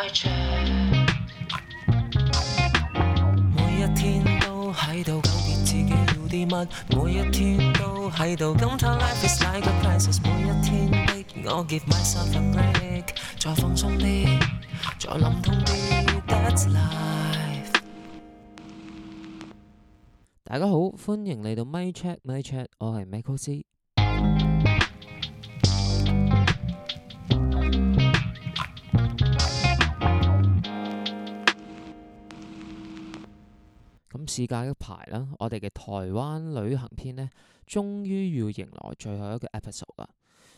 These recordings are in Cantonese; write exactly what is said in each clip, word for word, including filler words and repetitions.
每一天都喺度糾結自己要啲乜，每一天都喺度感嘆 life is like a crisis， 每一天逼我 give myself a break， 再放鬆啲，再諗通啲 ，that's life。大家好，歡迎嚟到 My Chat My Chat， 我係 Michael C。咁事隔一排啦，我哋嘅台灣旅行篇呢，終於要迎來最後一個 episode 啦。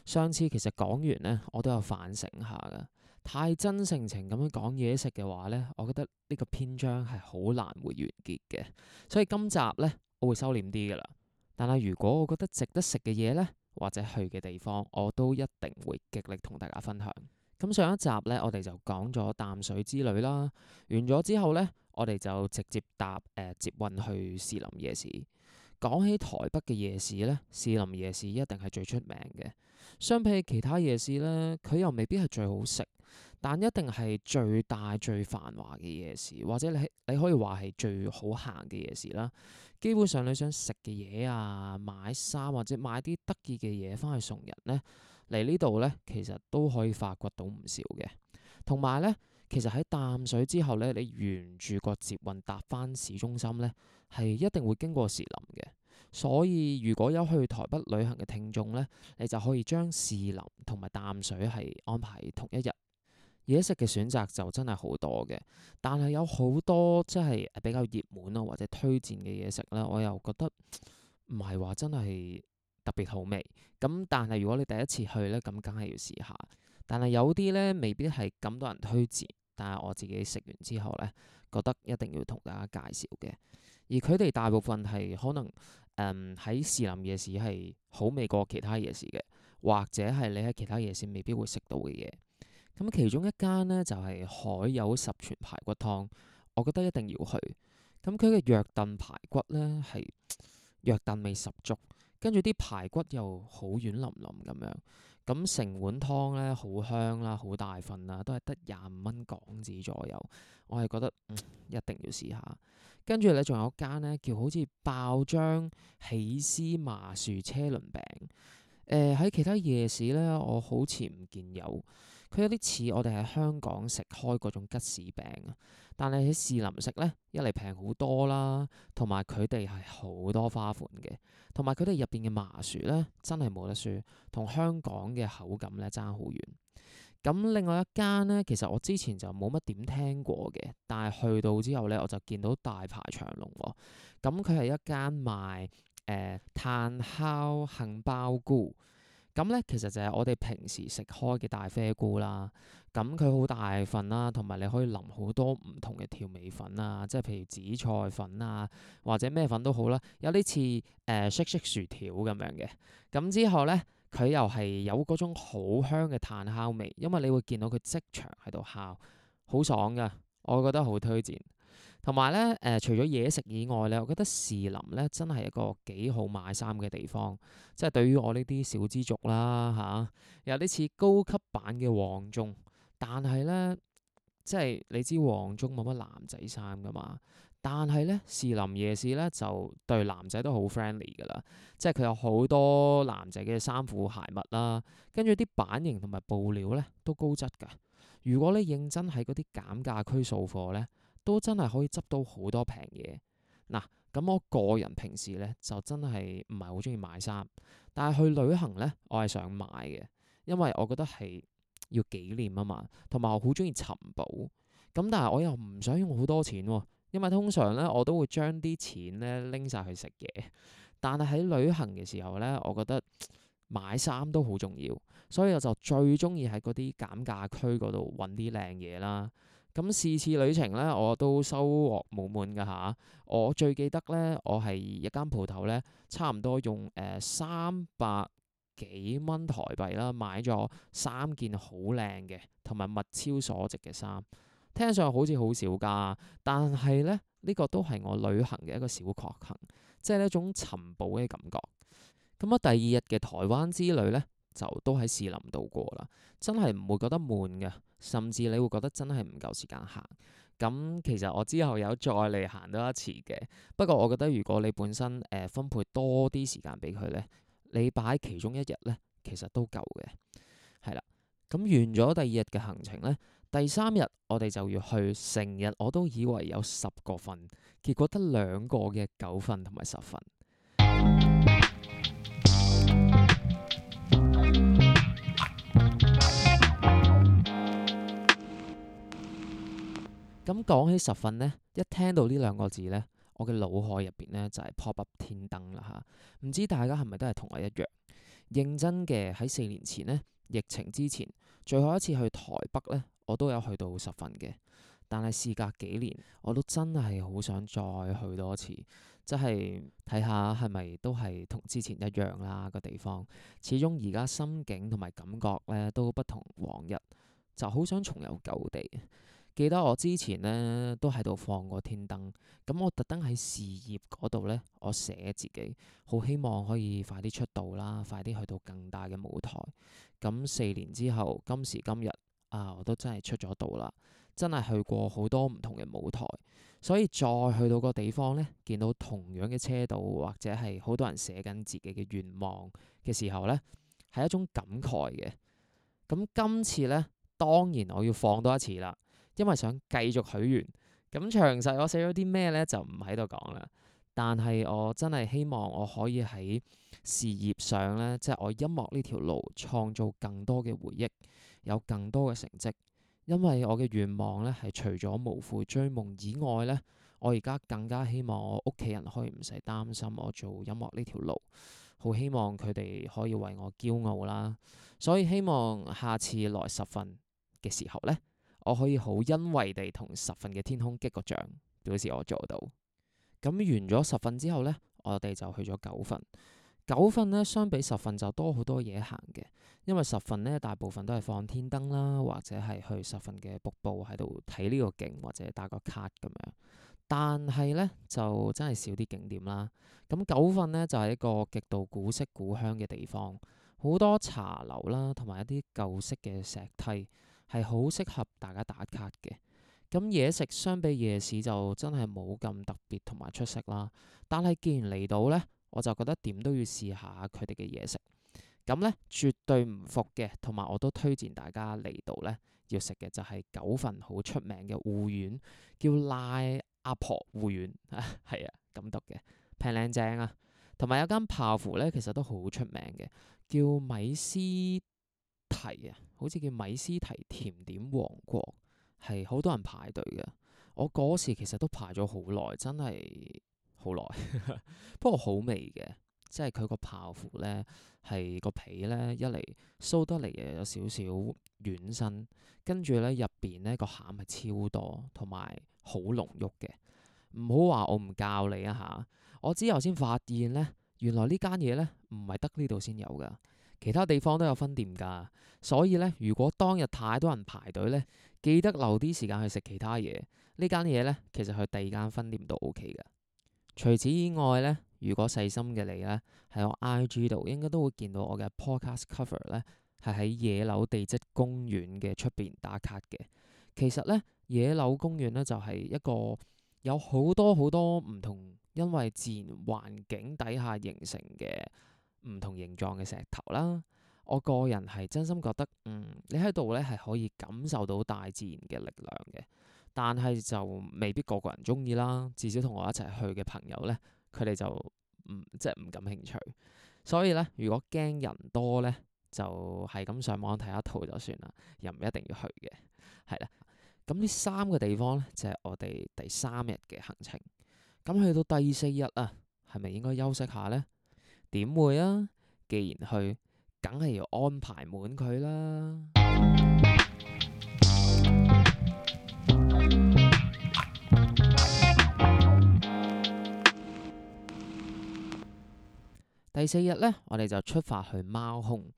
上次其實講完呢，我都有反省下噶，太真性情咁樣講嘢食嘅話呢，我覺得呢個篇章係好難會完結嘅。所以今集呢，我會收斂啲噶啦。但係如果我覺得值得食嘅嘢呢，或者去嘅地方，我都一定會極力同大家分享。咁上一集呢，我哋就講咗淡水之旅啦。完咗之後呢，我哋就直接搭誒、呃、捷運去士林夜市。講起台北嘅夜市呢，士林夜市一定係最出名嘅。相比起其他夜市呢，佢又未必係最好食，但一定係最大最繁華嘅夜市，或者你你可以話係最好行嘅夜市啦。基本上你想食嘅嘢啊，買衫或者買啲得意嘅嘢翻去送人呢，嚟呢度呢，其實都可以發掘到唔少嘅。同埋呢，其實喺淡水之後呢，你沿住個捷運搭翻市中心呢，係一定會經過士林嘅。所以如果有去台北旅行嘅聽眾呢，你就可以將士林同埋淡水係安排同一日。嘢食嘅選擇就真係好多嘅，但係有好多即係比較熱門啊或者推薦嘅嘢食呢，我又覺得唔係話真係特別好味。咁但係如果你第一次去呢，咁梗係要試下。但係有啲呢，未必係咁多人推薦，但係我自己食完之後呢，覺得一定要同大家介紹嘅。而佢哋大部分係可能誒喺士林夜市係好味過其他夜市嘅，或者係你喺其他夜市未必會食到嘅嘢。咁其中一間呢，就係海有十全排骨湯，我覺得一定要去。咁佢嘅藥燉排骨呢，係藥燉味十足，跟住啲排骨又好軟腍腍咁樣。咁成碗湯呢，好香啦，好大份啦，都係得廿五蚊港紙左右。我係覺得、嗯、一定要試下。跟住咧，仲有間呢，叫好似爆漿起司麻薯車輪餅。誒、呃、喺其他夜市呢，我好似唔見有。佢有啲似我哋喺香港食開嗰種吉士餅啊，但係喺士林食呢，一嚟平好多啦，同埋佢哋係好多花款嘅，同埋佢哋入邊嘅麻薯呢，真係冇得輸，同香港嘅口感呢爭好遠。咁另外一間呢，其實我之前就冇乜點聽過嘅，但係去到之後呢，我就見到大排長龍喎。咁佢係一間賣誒、呃、炭烤杏鮑菇。咁咧，其實就係我哋平時食開嘅大啡菇啦。咁佢好大份啦，同埋你可以淋好多唔同嘅調味粉啊，即係譬如紫菜粉啊，或者咩粉都好啦。有啲似誒 shake shake 薯條咁樣嘅。咁之後咧，佢又係有嗰種好香嘅炭烤味，因為你會見到佢即場喺度烤，好爽噶。我覺得好推薦。同埋咧，誒、呃、除咗嘢食以外咧，我覺得士林咧真係一個幾好買衫嘅地方。即係對於我呢啲小資族啦嚇、啊，有啲似高級版嘅黃忠。但係咧，即係你知黃忠冇乜男仔衫噶嘛。但係咧，士林夜市咧就對男仔都好 friendly 噶啦。即係佢有好多男仔嘅衫褲鞋襪啦，跟住啲版型同埋布料咧都高質㗎。如果你認真喺嗰啲減價區掃貨咧，都真係可以執到好多平嘢。嗱，咁我個人平時咧就真係唔係好中意買衫，但係去旅行咧我係想買嘅，因為我覺得係要紀念啊嘛，同埋我好中意尋寶。咁但係我又唔想用好多錢喎，因為通常咧我都會將啲錢咧拎晒去食嘢。但係喺旅行嘅時候咧，我覺得買衫都好重要，所以我就最中意喺嗰啲減價區嗰度揾啲靚嘢啦。咁次次旅程咧，我都收穫滿滿㗎吓。我最記得咧，我係一間鋪頭咧，差唔多用誒三百幾蚊台幣啦，買咗三件好靚嘅，同埋物超所值嘅衫。聽上去好似好少㗎，但係咧呢、呢個都係我旅行嘅一個小確幸，即係一種尋寶嘅感覺。咁啊，第二日嘅台灣之旅咧，就都喺士林度過啦，真係唔會覺得悶嘅，甚至你會覺得真係唔夠時間行。咁其實我之後有再嚟行多一次嘅，不過我覺得如果你本身誒、呃、分配多啲時間俾佢咧，你擺其中一日咧，其實都夠嘅，係啦。咁完咗第二日嘅行程咧，第三日我哋就要去，成日我都以為有十個瞓，結果得兩個嘅九瞓同埋十瞓。咁講起十瞓呢，一聽到呢兩個字呢，我嘅腦海入邊呢就係、是、pop up 天燈啦嚇。唔知大家係咪都係同我一樣？認真嘅，喺四年前呢，疫情之前最後一次去台北呢，我都有去到十瞓嘅。但係事隔幾年，我都真係好想再去多次，即係睇下係咪都係同之前一樣啦個地方。始終而家心境同埋感覺呢都不同往日，就好想重遊舊地。記得我之前呢都喺度放過天燈，咁我特登喺事業嗰度呢，我寫自己好希望可以快啲出道啦，快啲去到更大嘅舞台。咁四年之後，今時今日啊，我都真係出咗道啦，真係去過好多唔同嘅舞台，所以再去到個地方呢，見到同樣嘅車道或者係好多人寫緊自己嘅願望嘅時候呢，係一種感慨嘅。咁今次呢，當然我要放多一次啦。因為想繼續許願，咁詳細我寫咗啲咩呢？就唔喺度講啦。但係我真係希望我可以喺事業上呢，即係我音樂呢條路創造更多嘅回憶，有更多嘅成績。因為我嘅願望呢，係除咗無悔追夢以外呢，我而家更加希望我屋企人可以唔使擔心我做音樂呢條路，好希望佢哋可以為我驕傲啦。所以希望下次來十瞓嘅時候呢，我可以好欣慰地同十瞓嘅天空擊個掌，表示我做到。咁完咗十瞓之後呢，我哋就去咗九瞓。九瞓呢，相比十瞓就多好多嘢行嘅，因為十瞓呢，大部分都係放天燈啦，或者係去十瞓嘅瀑布喺度睇呢個景，或者打個卡咁樣。但係呢，就真係少啲景點啦。咁九瞓呢，就係一個極度古色古香嘅地方，好多茶樓啦，同埋一啲舊式嘅石梯。係好適合大家打卡嘅。咁嘢食相比夜市就真係冇咁特別同埋出色啦。但係既然嚟到呢，我就覺得點都要試下佢哋嘅嘢食。咁呢，絕對唔服嘅，同埋我都推薦大家嚟到呢，要食嘅就係九份好出名嘅芋圓，叫賴阿婆芋圓，係啊咁讀嘅，平靚正啊。同埋有間泡芙呢，其實都好出名嘅，叫米斯提啊，好似叫米斯提甜點王國，係好多人排隊嘅。我嗰時其實都排咗好耐，真係好耐。不過好味嘅，即係佢個泡芙呢，係個皮呢，一嚟酥得嚟又有少少軟身，跟住呢入邊呢個餡係超多，同埋好濃郁嘅。唔好話我唔教你啊嚇，我之後先發現呢，原來呢間嘢呢，唔係得呢度先有噶。其他地方都有分店㗎，所以呢，如果當日太多人排隊呢，記得留啲時間去食其他嘢。呢間嘢呢，其實去第二間分店都 O K 㗎。除此以外呢，如果細心嘅你呢，喺我 I G 度應該都會見到我嘅 podcast cover 呢，係喺野柳地質公園嘅出邊打卡嘅。其實呢，野柳公園呢，就係一個有好多好多唔同，因為自然環境底下形成嘅唔同形狀嘅石頭啦。我個人係真心覺得，嗯，你喺度咧係可以感受到大自然嘅力量嘅，但係就未必個個人中意啦。至少同我一齊去嘅朋友咧，佢哋就唔即係唔感興趣。所以咧，如果驚人多咧，就係咁上網睇一套就算啦，又唔一定要去嘅。係啦，咁呢三個地方咧就係我哋第三日嘅行程。咁去到第四日啊，係咪應該休息下呢？點會啊？既然去，梗係要安排滿佢啦。第四日呢，我哋就出發去貓空。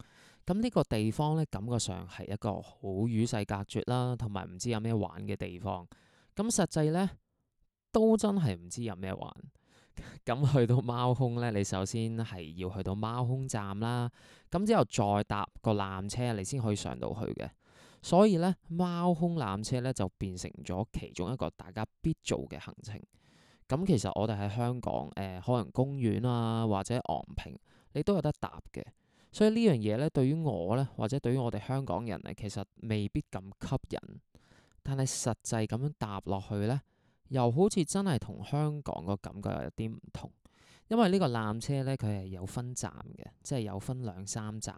咁呢個地方呢，感覺上係一個好與世隔絕啦，同埋唔知有咩玩嘅地方。咁實際呢，都真係唔知有咩玩。咁去到貓空咧，你首先係要去到貓空站啦，咁之後再搭個纜車，你先可以上到去嘅。所以咧，貓空纜車咧就變成咗其中一個大家必做嘅行程。咁其實我哋喺香港誒、呃、海洋公園啊，或者昂坪，你都有得搭嘅。所以呢樣嘢咧，對於我咧，或者對於我哋香港人咧，其實未必咁吸引。但係實際咁樣搭落去咧，又好似真係同香港個感覺有啲唔同。因為呢個纜車咧，佢係有分站嘅，即係有分兩三站，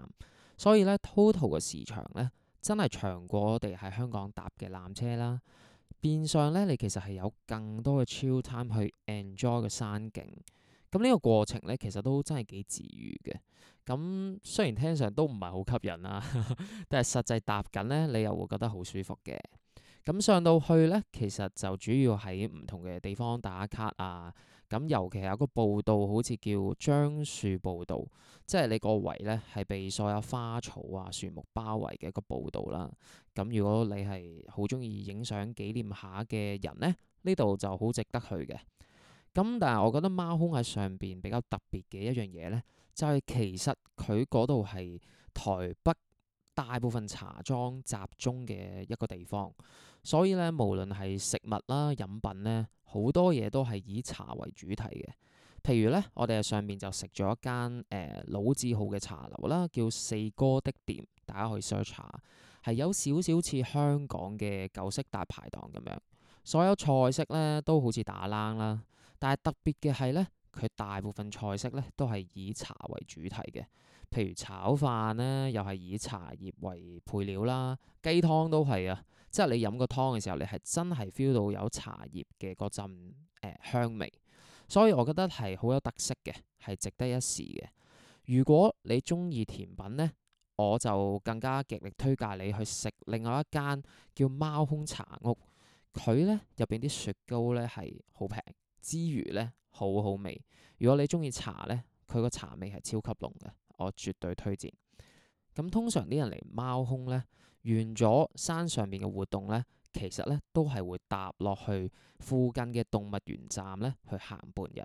所以咧 total 嘅時長咧，真係長過我哋喺香港搭嘅纜車啦。變相咧，你其實係有更多嘅 chill time 去 enjoy 個山景。咁呢個過程咧，其實都真係幾治癒嘅。咁雖然聽上都唔係好吸引啦，但係實際搭緊咧，你又會覺得好舒服嘅。咁上到去咧，其實就主要喺唔同嘅地方打卡啊。咁尤其係有個步道，好似叫樟樹步道，即係你個圍咧係被所有花草啊、樹木包圍嘅一個步道啦。咁如果你係好中意影相紀念下嘅人咧，呢度就好值得去嘅。咁但係我覺得貓空喺上邊比較特別嘅一樣嘢咧，就係其實佢嗰度係台北大部分茶莊集中嘅一個地方，所以咧無論係食物啦、飲品咧，好多嘢都係以茶為主題嘅。譬如咧，我哋喺上面就食咗一間誒、呃、老字號嘅茶樓啦，叫四哥的店，大家可以 search 下，係有少少似香港嘅舊式大排檔咁樣，所有菜式咧都好似打冷啦，但係特別嘅係咧，佢大部分菜式咧都係以茶為主題嘅。譬如炒飯咧，又係以茶葉為配料啦，雞湯都係啊，即係你飲個湯嘅時候，你係真係 feel 到有茶葉嘅嗰陣誒香味，所以我覺得係好有特色嘅，係值得一試嘅。如果你中意甜品咧，我就更加極力推介你去食另外一間叫貓空茶屋，佢咧入邊啲雪糕咧係好平之餘咧好好味。如果你中意茶咧，佢個茶味係超級濃嘅。我絕對推薦。咁通常啲人嚟貓空咧，完咗山上邊嘅活動咧，其實咧都係會搭落去附近嘅動物園站咧去行半日。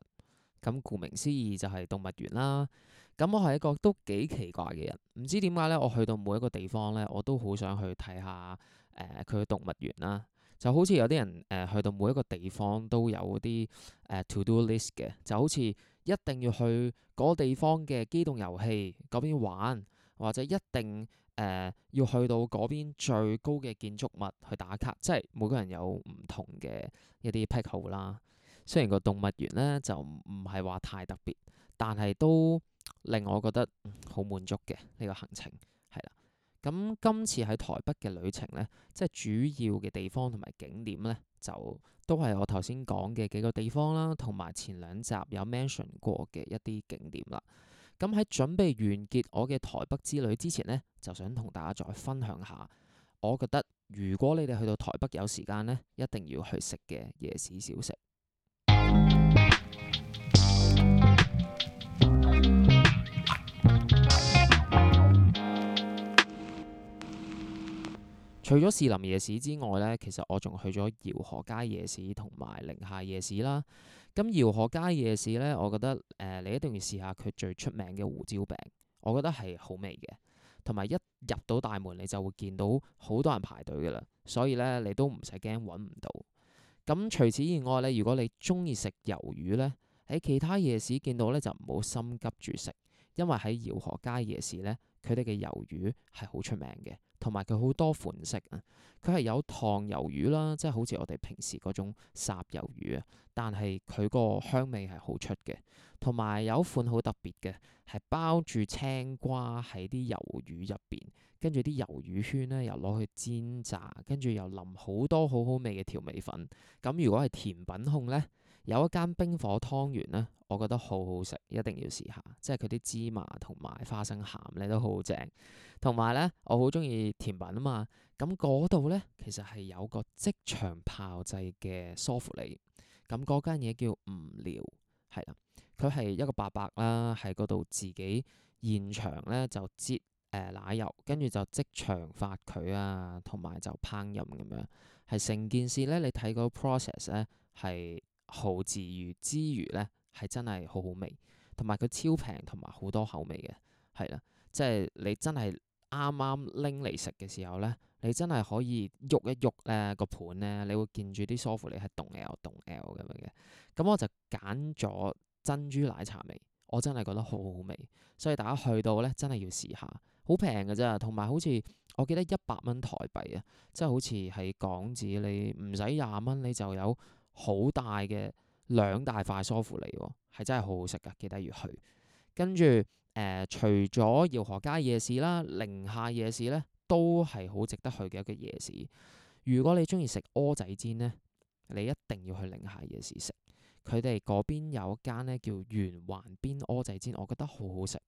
咁顧名思義就係動物園啦。咁我係一個都幾奇怪嘅人，唔知點解咧，我去到每一個地方咧，我都好想去睇下誒佢嘅動物園啦。就好似有啲人誒、呃、去到每一個地方都有啲誒、呃、to do list 嘅，就好似一定要去嗰個地方嘅機動遊戲嗰邊玩，或者一定誒、呃、要去到嗰邊最高嘅建築物去打卡，即係每個人有唔同嘅一啲癖好啦。雖然個動物園咧就唔係話太特別，但係都令我覺得好滿足嘅呢個行程係啦。咁今次喺台北嘅旅程咧，即係主要嘅地方同埋景點咧，就都係我頭先講嘅幾個地方啦，同埋前兩集有 mention 過嘅一啲景點啦。咁喺準備完結我嘅台北之旅之前咧，就想同大家再分享下，我覺得如果你哋去到台北有時間咧，一定要去食嘅夜市小食。除咗士林夜市之外咧，其實我仲去咗饒河街夜市同埋寧夏夜市啦。咁饒河街夜市咧，我覺得誒、呃、你一定要試下佢最出名嘅胡椒餅，我覺得係好味嘅。同埋一入到大門，你就會見到好多人排隊㗎啦，所以咧你都唔使驚揾唔到。咁除此以外咧，如果你中意食魷魚咧，喺其他夜市見到咧就唔好心急住食，因為喺饒河街夜市咧，佢哋嘅魷魚係好出名嘅。同埋佢好多款式啊，佢係有糖魷魚啦，即係好似我哋平時嗰種烚魷魚啊，但係佢個香味係好出嘅。同埋有一款好特別嘅，係包住青瓜喺啲魷魚入邊，跟住啲魷魚圈咧又攞去煎炸，跟住又淋好多好好味嘅調味粉。咁如果係甜品控咧，有一間冰火湯圓咧，我覺得好好食，一定要試下。即係佢啲芝麻同埋花生餡咧都好正。同埋咧，我好中意甜品啊嘛。咁嗰度咧，其實係有個即場炮製嘅梳芙梨。咁嗰間嘢叫吳寮，係啦。佢係一個伯伯啦，喺嗰度自己現場咧就擠誒、呃、奶油，跟住就即場發佢啊，同埋就烹飪咁樣。係成件事咧，你睇個 process 咧係好治癒之餘咧，係真係好好味，同埋佢超平同埋好多口味嘅，係啦，即係你真係啱啱拎嚟食嘅時候咧，你真係可以喐一喐咧個盤咧，你會見住啲梳芙梨係動 L 動 L 咁樣嘅。咁我就揀咗珍珠奶茶味，我真係覺得好好味，所以大家去到咧真係要試下，好平嘅啫，同埋好似我記得一百蚊台幣啊，即係好似係港紙，你唔使廿蚊你就有好大嘅兩大塊梳芙梨喎，係真係好好食噶，記得要去。跟住誒、呃，除咗饒河街夜市啦，寧夏夜市咧都係好值得去嘅一個夜市。如果你中意食蚵仔煎咧，你一定要去寧夏夜市食。佢哋嗰邊有一間咧叫圓環邊蚵仔煎，我覺得好好食。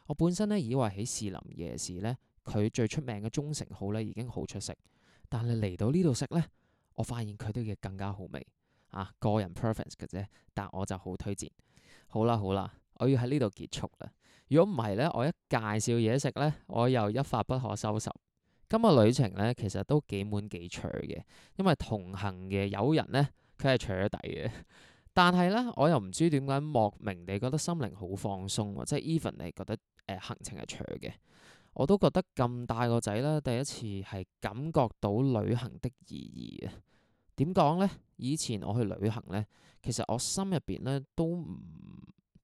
我本身咧以為喺士林夜市咧，佢最出名嘅忠誠號咧已經好出色，但係嚟到呢度食咧，我發現佢哋嘅更加好味啊！個人 preference 嘅啫，但我就好推薦。好啦好啦，我要喺呢度結束啦。如果唔係咧，我一介紹嘢食咧，我又一發不可收拾。今日旅程咧其實都幾滿幾長嘅，因為同行嘅友人咧佢係扯底嘅。但係咧，我又唔知點解莫名地覺得心靈好放鬆喎，即係 even 你覺得誒、呃、行程係長嘅，我都覺得咁大個仔啦，第一次係感覺到旅行的意義啊！點講咧？以前我去旅行咧，其實我心入邊咧都唔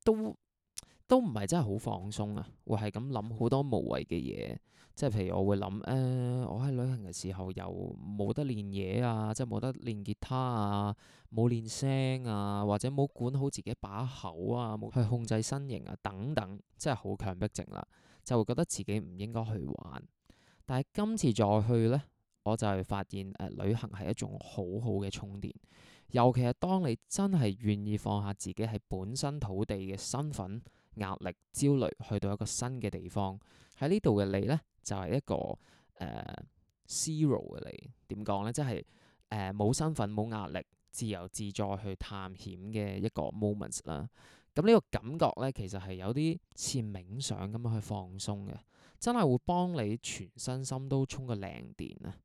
都都唔係真係好放鬆啊，會係咁諗好多無謂嘅嘢。即係譬如我會諗誒、呃，我喺旅行嘅時候又冇得練嘢啊，即係冇得練吉他啊，冇練聲啊，或者冇管好自己把口啊，冇去控制身形啊等等，即係好強迫症啦，就會覺得自己唔應該去玩。但係今次再去呢，我就係發現誒、呃、旅行係一種好好嘅充電，尤其係當你真係願意放下自己係本身土地嘅身份、壓力、焦慮，去到一個新嘅地方，喺呢度嘅你呢，就係、是、一個誒、呃、zero 嘅你，點講呢？即係誒冇身份、冇壓力、自由自在去探險嘅一個 moment 啦。咁呢個感覺呢，其實係有啲似冥想咁樣去放鬆嘅，真係會幫你全身心都充個靚電啊！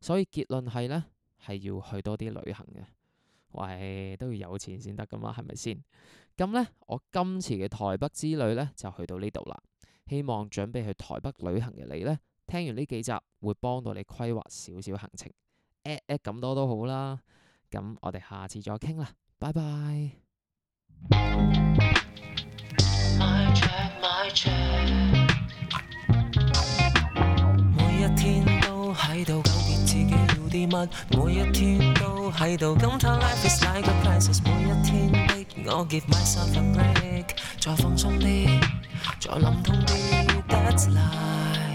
所以結論係呢，係要去多啲旅行嘅。喂，都要有錢先得噶嘛，係咪先？咁呢，我今次嘅台北之旅呢，就去到呢度啦。希望準備去台北旅行嘅你呢，聽完呢幾集會幫到你規劃少少行程，at at 咁多都好啦。咁我哋下次再傾啦，拜拜。每一天都喺度糾結自己要啲乜，每一天都喺度感嘆 life is like a crisis， 每一天逼我 give myself a break， 再放鬆啲，再諗通啲 that's life。